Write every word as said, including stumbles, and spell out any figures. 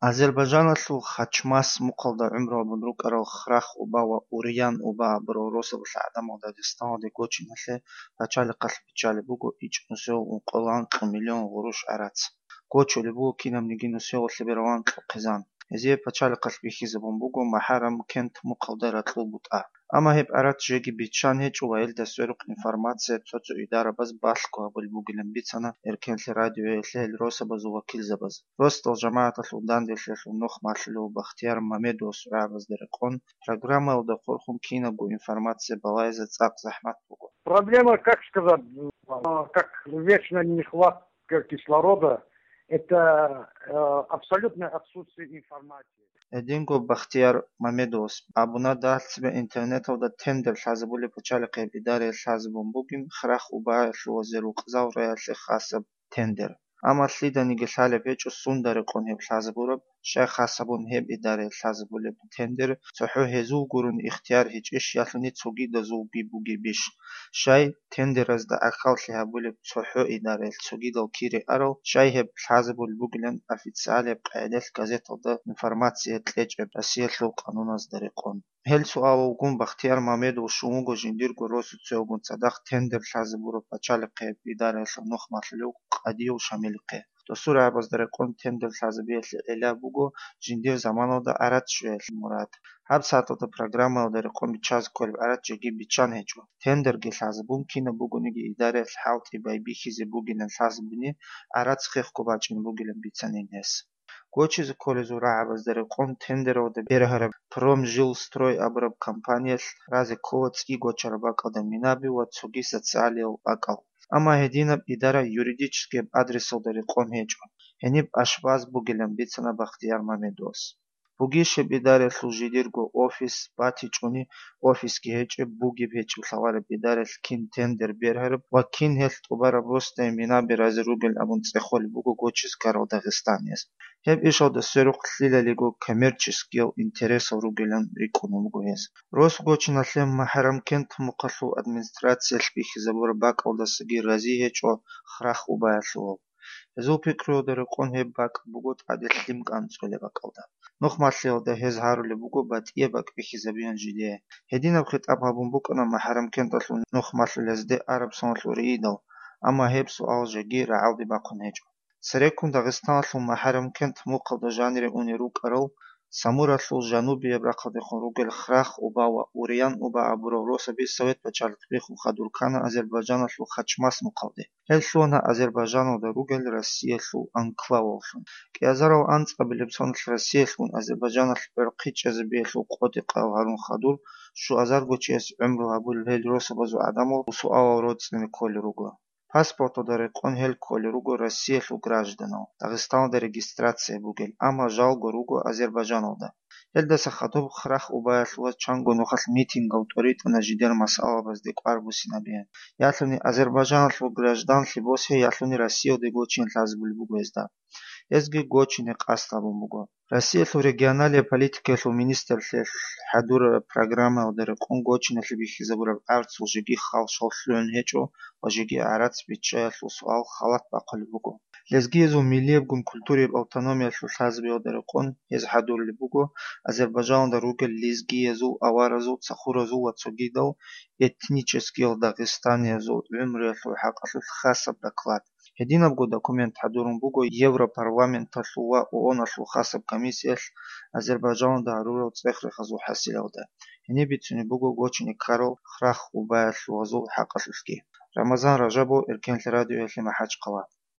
Азербайджаналъул Хачмас мухъалда гӀумру гьабун рукӀарал Храх Уба ва Уриян Уба абурал росабалъ гӀадамал Дагъистаналде гочиналъе пачалихъалъ биччалеб буго ичӀнусев ункъоялда анкьго миллион гъурущ гӀарац. Гочулеб буго кинабниги нусиялъе бералан кьухъизан. Гьезие пачалихъалъ бихьизабун буго МахӀарам кент мухъалда ракьул бутӀа. Амма гьеб гӀарац жеги биччан гьечӀо ва гьелда сверухъ информация цо-цо идарабаз балъго гьабулеб бугилан бицана Эркенлъи радиоялъе гьел росабазул вакилзабаз. Росдал жамагӀаталъул данделъиялъул нух малъулев Бахтияр Мамедовас рагӀабазда рекъон, программаялда хурхун кинабго информация балагьизе цӀакъ захӀмат буго. Проблема, как сказать, как вечная нехватка кислорода, это э, абсолютное отсутствие информации. Гьединго Бахтияр Мамедовас абуна, дагьалцебе интернеталда тендер лъазабулеб пачалихъ гьеб идараялъ лъазабун бугин Храх Убаялъул ва Зерукъзал районалъе хасаб тендер. Амма лъиданиги лъалеб гьечӀо сунда рекъон гьеб лъазабураб, щай хасабун гьеб идараялъ лъазабулеб тендер цохӀо гьезул гурун ихтияр гьечӀищ ялъуни цогидазулги бугебищ, щай тендеразда ахьаллъи гьабулеб цохӀо идараялъ цогидал кире арал, щай гьеб лъазабулеб бугилан официалияб къагӀидаялъ газеталда информация кьечӀеб Россиялъул къануназда рекъон. Гьел суалалгун Бахтияр Мамедов щун вуго жиндирго росуцевгун цадахъ тендер лъазабураб пачалихъе гьеб идараялъул нух малъулев Къадиев Шамилихъе. Досул рагӀабазда рекъон тендер лъазабиялъе гӀилла буго жиндир заманалда гӀарац щвеялъе мурад. ГьабсагӀаталда программаялда рекъон биччазе кколеб гӀарац жеги биччан гьечӀо. Тендерги лъазабун кинаб бугониги идараялъ хӀалтӀи байбихьизе бугилан лъазабуни гӀарац хехго бачӀине бугилан бицанин гьес. Гочизе кколезул рагӀабазда рекъон тендералда бергьараб Промжилстрой абураб компаниялъ разе ккола цӀи гочараб бакӀалда минаби ва цоги социалиял бакӀал. Амма гьединаб идара юридическияб адресалда рекъон гьечӀо, гьениб ашбаз бугилан бицана Бахтияр Мамедовас. Бугищеб идараялъул жидерго офис батичӀони, офисги гьечӀеб, бугеб гьечӀеб лъалареб идараялъ кин тендер бергьараб ва кин гьелъ тӀубараб росдае минаби разе ругел абун цӀехолеб буго гочиз ккарал дагъистанияз. Гьеб ишалда сверухъ лъилалиго коммерческиял интересал ругилан рикӀкӀунеб буго гьез. Рос гочиналъе МахӀарамкент мухъалъул администрациялъ бихьизабураб бакӀалдасаги рази гьечӀо Храх Убаялъувал. Гьезул пикруялда рекъон гьеб бакӀ буго тӀаде лъим кӀанцӀолеб бакӀалда. Нух малъиялда гьез гьарулеб буго батӀияб бакӀ бихьизабеян жидее. Гьединаб хитӀаб гьабун букӀана МахӀарамкенталъул нух малъулезде араб соналъул риидал, амма гьеб суал жеги рагӀалде бахъун гьечӀо. Цереккун Дагъистаналъул МахӀарамкент мухъалда жанире унел рукӀарал Самуралъул жанубияб рахъалдехун ругел Храх Уба ва Уриян Уба абурал росаби Совет пачалихъ биххун хадур ккана Азербайджаналъул Хачмас мухъалде. Гьел лъугьана Азербайджаналда ругел Россиялъул анклаваллъун. КӀиазарал анцӀабилеб соналъ Россиялъгун Азербайджаналъ гӀорхъи чӀезабиялъул къотӀи-къал гьарун хадур, щуазарго чияс гӀумру гьабулел гьел росабазул гӀадамал суалал роцӀцӀине кколел руго. Паспорталда рекъон гьел кколел руго Россиялъул гражданал, Дагъистаналда регистрация бугел, амма жалго руго Азербайджаналда. Гьелдаса хадуб Храх Убаялъуваз чанго нухалъ митингал тӀоритӀана жидер масъалабазде кӀвар буссинабеян. Ялъуни Азербайджаналъул гражданлъи босизе, ялъуни Россиялде гочине лъазабулеб буго гьезда. Гьезги гочине къасд гьабун буго. Россиялъул регионалияб политикаялъул министрлъиялъ хӀадурараб программаялда рекъон гочиналъе бихьизабураб гӀарцул жеги хал-шал лъугӀун гьечӀо ва жеги гӀарац биччаялъул суал халат бахъулеб буго. Лезгиязул миллиябгун культураяб автономиялъул лъазабиялда рекъон гьез хӀадурулеб буго Азербайджаналда ругел лезгиязул, аваразул, цахуразул ва цогидал этническиял дагъистаниязул гӀумруялъул хӀакъалъулъ хасаб доклад. Гьединабго документ хӀадурун буго Европарламенталъул ва ООНалъул хасаб комиссиялъ Азербайджаналда гьарурал цӀех-рехазул хӀасилалда. Гьениб бицунеб буго гочине ккарал Храх Убаялъувазул хӀакъалъулъги. Рамазан Ражабов, Эркенлъи радиоялъе, МахӀачхъала.